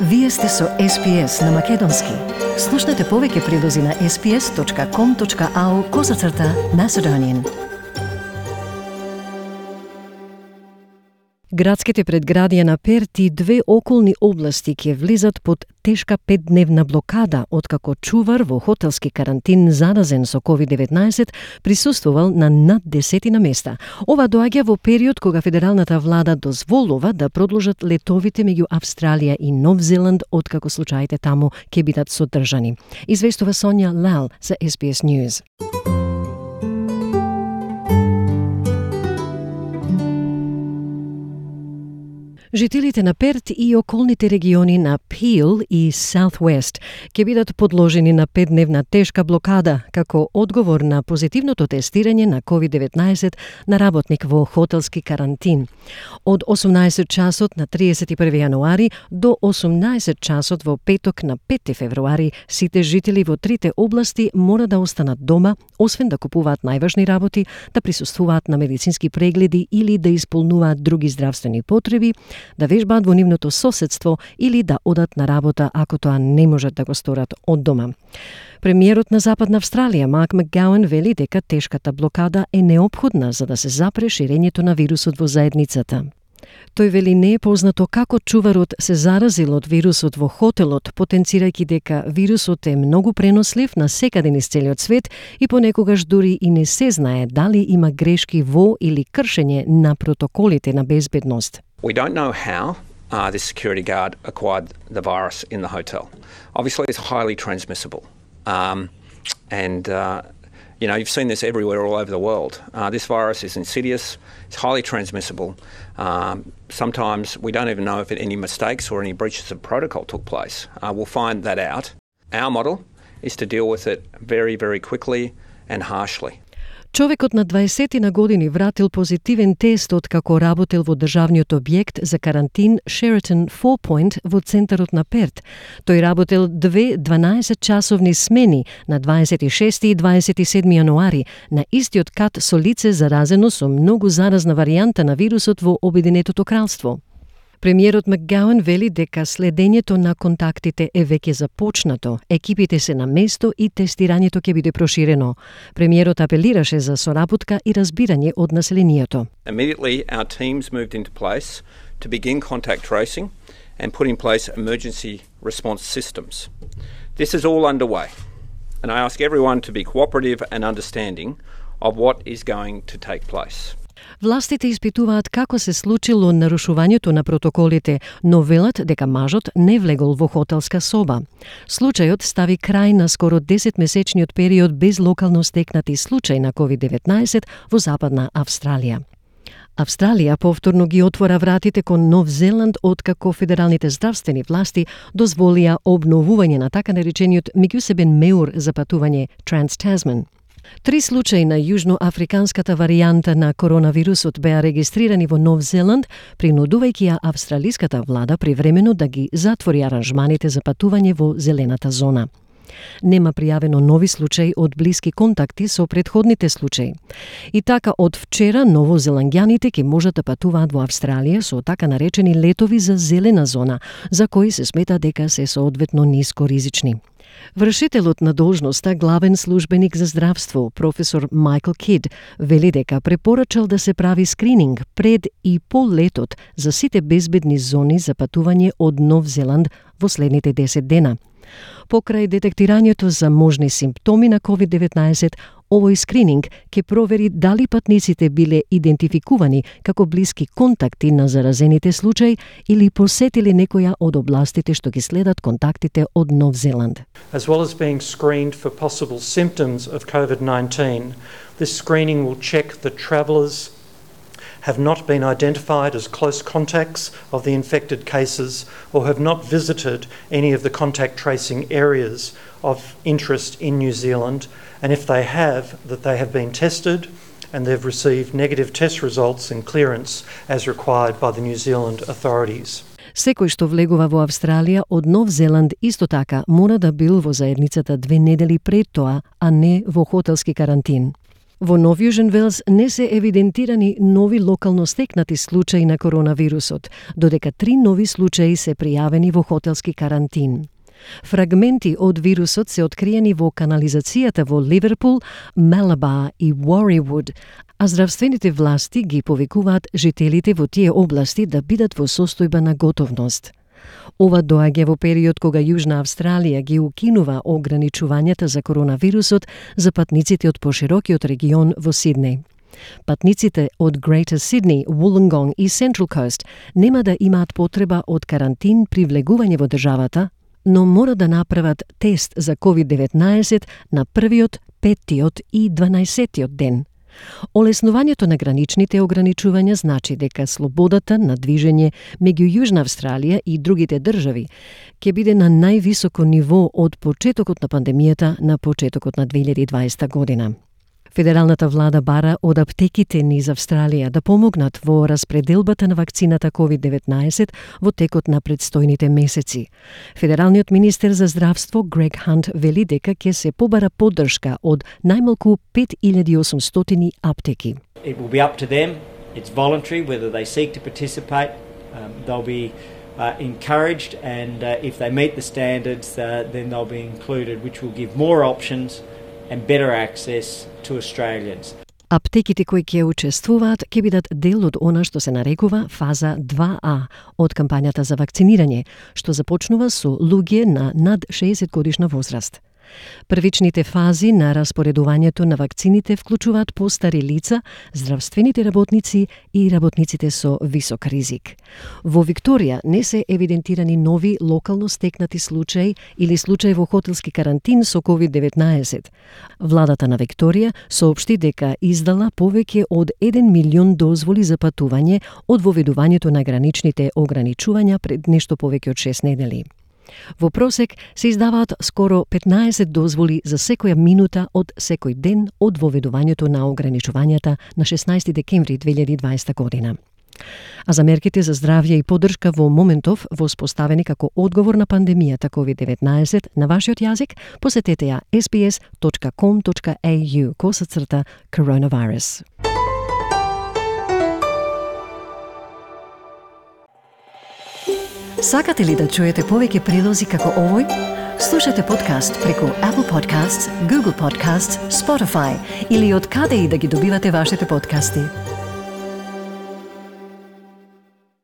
Вие сте со SPS на Македонски. Слушнете повеќе прилози на sps.com.au/Macedonian. Градските предградија на Перт и две околни области ќе влизат под тешка 5-дневна блокада, откако чувар во хотелски карантин заразен со COVID-19 присуствувал на над 10 места. Ова доаѓа во период кога федералната влада дозволува да продолжат летовите меѓу Австралија и Нов Зеланд, откако случаите таму ќе бидат содржани. Известува Сонја Лал за SBS News. Жителите на Перт и околните региони на Пил и Southwest ќе бидат подложени на 5-дневна тешка блокада како одговор на позитивното тестирање на COVID-19 на работник во хотелски карантин. Од 18 часот на 31 јануари до 18 часот во петок на 5 февруари сите жители во трите области мора да останат дома, освен да купуваат најважни работи, да присуствуваат на медицински прегледи или да исполнуваат други здравствени потреби, да вежбаат во нивното соседство или да одат на работа ако тоа не можат да го сторат од дома. Премиерот на Западна Австралија, Марк Макгауан, вели дека тешката блокада е неопходна за да се запре ширењето на вирусот во заедницата. Тој вели не е познато како чуварот се заразил од вирусот во хотелот, потенцирајќи дека вирусот е многу пренослив на секаде низ целиот свет и понекогаш дури и не се знае дали има грешки во или кршење на протоколите на безбедност. We don't know how this security guard acquired the virus in the hotel. Obviously, it's highly transmissible. You've seen this everywhere all over the world. This virus is insidious, it's highly transmissible. Sometimes we don't even know if any mistakes or any breaches of protocol took place. We'll find that out. Our model is to deal with it very, very quickly and harshly. Човекот на 20 на години вратил позитивен тест откако работел во државниот објект за карантин Sheraton Four Point во центарот на Перт. Тој работел 12-часовни смени на 26 и 27 јануари на истиот кат со лице заразено со многу заразна варијанта на вирусот во Обединетото кралство. Премиерот Макгауан вели дека следењето на контактите е веќе започнато, екипите се на место и тестирањето ќе биде проширено. Премиерот апелираше за соработка и разбирање од населението. Immediately our teams moved into place to begin contact tracing and put in place emergency response systems. This is all underway, and I ask everyone to be cooperative and understanding of what is going to take place. Властите испитуваат како се случило нарушувањето на протоколите, но велат дека мажот не влегол во хотелска соба. Случајот стави крај на скоро 10-месечниот период без локално стекнати случаи на COVID-19 во Западна Австралија. Австралија повторно ги отвора вратите кон Нов Зеланд откако федералните здравствени власти дозволија обновување на така наречениот меѓусебен меур за патување Trans-Tasman. 3 случаи на јужноафриканската варијанта на коронавирусот беа регистрирани во Нов Зеланд, принудувајќи ја австралиската влада привремено да ги затвори аранжманите за патување во зелената зона. Нема пријавено нови случаи од блиски контакти со претходните случаи. И така од вчера новозеландјаните ќе можат да патуваат во Австралија со така наречени летови за зелена зона, за кои се смета дека се соодветно ниско ризични. Вршителот на должноста, главен службеник за здравство, професор Майкл Кид, вели дека препорачал да се прави скрининг пред и по летот за сите безбедни зони за патување од Нов Зеланд во следните 10 дена. Покрај детектирањето за можни симптоми на COVID-19, овој скрининг ќе провери дали патниците биле идентификувани како блиски контакти на заразените случаи или посетили некоја од областите што ги следат контактите од Нов Зеланд. As well as being screened for possible symptoms of COVID-19, this screening will check that travellers have not been identified as close contacts of the infected cases or have not visited any of the contact tracing areas of interest in New Zealand, and if they have, that they have been tested and they've received negative test results and clearance as required by the New Zealand authorities. Секој што влегува во Австралија од Нов Зеланд исто така мора да бил во заедницата 2 недели пред тоа, а не во хотелски карантин. Во Нов Јужен Велс не се евидентирани нови локално стекнати случаи на коронавирусот, додека 3 нови случаи се пријавени во хотелски карантин. Фрагменти од вирусот се откриени во канализацијата во Ливерпул, Малаба и Уоривуд, а здравствените власти ги повикуваат жителите во тие области да бидат во состојба на готовност. Ова доаѓа во период кога Јужна Австралија ги укинува ограничувањата за коронавирусот за патниците од поширокиот регион во Сиднеј. Патниците од Greater Sydney, Wollongong и Central Coast нема да имаат потреба од карантин при влегување во државата, но мора да направат тест за COVID-19 на првиот, 5-тиот и 12-тиот ден. Олеснувањето на граничните ограничувања значи дека слободата на движење меѓу Јужна Австралија и другите држави ќе биде на највисоко ниво од почетокот на пандемијата на почетокот на 2020 година. Федералната влада бара од аптеките низ Австралија да помогнат во распределбата на вакцината COVID-19 во текот на предстојните месеци. Федералниот министер за здравство Грег Хант вели дека ќе се побара поддршка од најмалку 5800 аптеки. It will be up to them. It's voluntary whether they seek to participate. They'll be encouraged, and if they meet the standards, then they'll be included, which will give more options and better access to Australians. Аптеките кои ќе учествуваат ќе бидат дел од она што се нарекува фаза 2А од кампањата за вакцинирање, што започнува со луѓе на над 60 годишна возраст. Првичните фази на распоредувањето на вакцините вклучуваат постари лица, здравствените работници и работниците со висок ризик. Во Викторија не се евидентирани нови локално стекнати случаи или случаи во хотелски карантин со COVID-19. Владата на Викторија соопшти дека издала повеќе од 1 милион дозволи за патување од воведувањето на граничните ограничувања пред нешто повеќе од 6 недели. Во просек се издаваат скоро 15 дозволи за секоја минута од секој ден од воведувањето на ограничувањата на 16 декември 2020 година. А за мерките за здравје и поддршка во моментов воспоставени како одговор на пандемијата COVID-19 на вашиот јазик, посетете ја sbs.com.au/coronavirus. Сакате ли да чуете повеќе прилози како овој? Слушате подкаст преку Apple Podcasts, Google Podcasts, Spotify или од каде и да ги добивате вашите подкасти.